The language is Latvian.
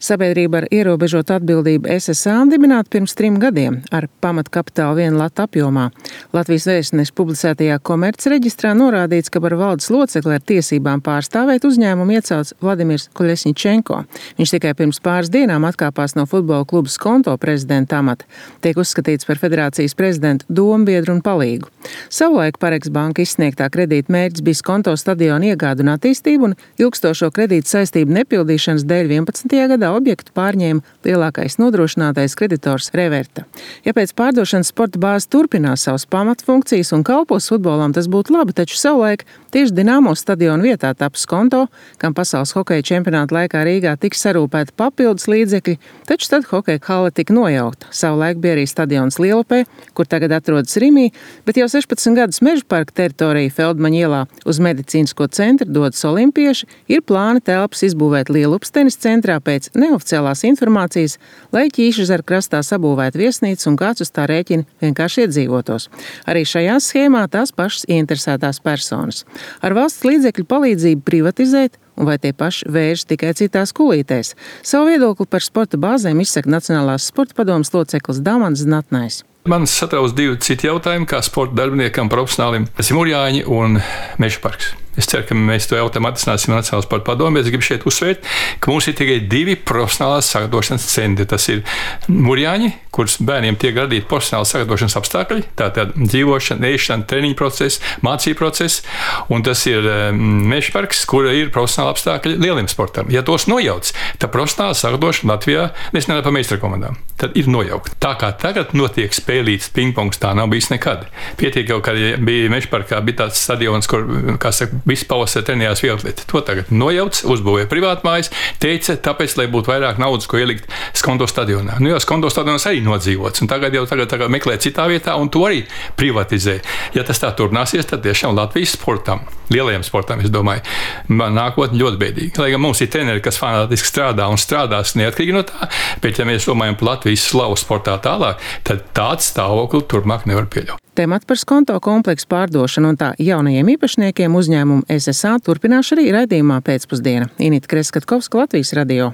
Sabiedrība ar ierobežotu atbildību SSA dibināta pirms 3 gadiem ar pamatkapitālu 1 lata apjomā. Latvijas Vēstneša publicētajā komercreģistrā norādīts, ka par valdes locekli ar tiesībām pārstāvēt uzņēmumu iecelts Vladimirs Koļesņičenko. Viņš tikai pirms pāris dienām atkāpās no futbola kluba Skonto prezidenta amata. Tiek uzskatīts par federācijas prezidentu dombiedru un palīgu. Savulaik Pareks banka izsniegtā kredīta mērķis bija Skonto stadiona iegāde un attīstība, un ilgstošo kredīta saistību nepildīšanas dēļ 11. gadā objektu pārņēma lielākais nodrošinātais kreditors Reverta. Ja pēc pārdošanas sporta bāze turpinās savas pamatfunkcijas un kalpos futbolam, tas būtu labi, taču savulaik tieši Dinamo stadiona vietā taps Skonto, kam pasaules hokeja čempionāta laikā Rīgā tika sarūpēti papildus līdzekļi, taču tad hokeja hale tika nojaukta. Savulaik bija arī stadions Lielupē, kur tagad atrodas Rimī, bet jau 16 gadus Meža parka teritorija Feldmaņa ielā uz medicīnisko centru dodas olimpieši, ir plāni telpas izbūvēt Lielupas tenis centrā pēc neoficiālās informācijas, lai Ķīšežera krastā sabūvētu viesnīcu un kāds uz tā rēķina vienkārši iedzīvotos. Arī šajā schēmā tās pašas ieinteresētās personas. Ar valsts līdzekļu palīdzību privatizēt, un vai tie paši vērš tikai citās kulītēs. Savu viedokli par sporta bāzēm izsaka Nacionālās sporta padomes loceklis Damants Znatnais. Man satrauc 2 citi jautājumi, kā sporta darbiniekam, profesionālim. Tas ir Murjāņi un Meža parks. Es ceru, ka mēs to jautājumu atrisināsim Nacionālās sporta padomē. Es gribu šeit uzsvērt, ka mums ir tikai 2 profesionālās sagatavošanas centri. Tas ir Murjāņi, kurus bērniem tiek radīti profesionāli sagatavošanas apstākļi, tātad dzīvošana, ēšana, treniņu process, mācību process, un tas ir Meža parks, kur ir profesionāli apstākļi lieliem sportam. Ja tos nojauc, tad profesionāla sagatavošana Latvijā, es nerunāju par meistara komandām, tad ir nojaukta. Tā kā tagad notiek spēlīts pingpongs, tā nav bijis nekad. Pietiek jau, kad bija Meža parkā, bija tāds stadions, kur, kā saka, visu pavasari trenējās vieglatlēti. To tagad nojauc, uzbūvēja privātmājas, teica, tāpēc, lai būtu vairāk naudas, ko ielikt Skonto stadionā. Nu jau Skonto stadionas arī nodzīvots, un tagad meklē citā vietā, un to arī privatizē. Ja tas tā turpināsies, tad tiešām Latvijas sportam, lielajiem sportam, es domāju, nākotne ļoti bēdīga. Lai gan mums ir treneri, kas fanātiski strādā un strādās neatkarīgi no tā, bet ja mēs domājam par Latvijas slavu sportā tālāk, tad tāds stāvokli turpmāk nevar pieļaut. Temats par Skonto kompleksu pārdošanu un tā jaunajiem īpašniekiem uzņēmumu SSA turpināšu arī raidījumā pēcpusdiena. Inita Kreskatkovska, Latvijas radio.